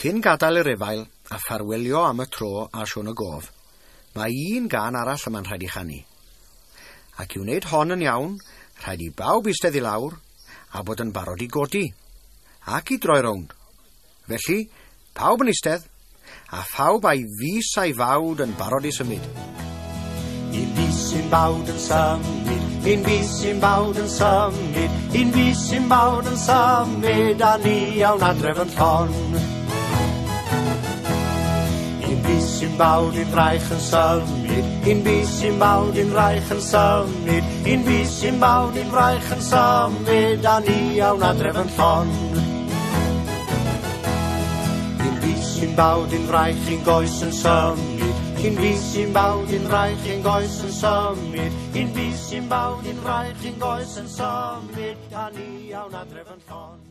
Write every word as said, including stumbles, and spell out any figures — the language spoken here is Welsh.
Cyn gadael yr efail a ffarwelio am y tro a Siôn y Gof, mae un gân arall yma'n rhaid i chanu. Ac i wneud hon yn iawn, rhaid i bawb eistedd i lawr a bod yn barod i godi, ac i droi rownd. Felly, pawb yn eistedd, a phawb a'i fys a'i fawd yn barod i symud. Un bys, un bawd yn symud, un bys, un bawd yn symud, un bys, un bawd yn symud, a ni awn adref yn llon. Un bys, un bawd, un fraich yn symud, un bys, un bawd, un fraich yn symud, un bys, un bawd, un fraich yn symud, a ni awn adref yn llon. Un bys, un bawd, un fraich, un goes yn symud, un bys, un bawd, un fraich, un goes yn symud, un bys, un bawd, un fraich, un goes yn symud, a ni awn adref yn llon.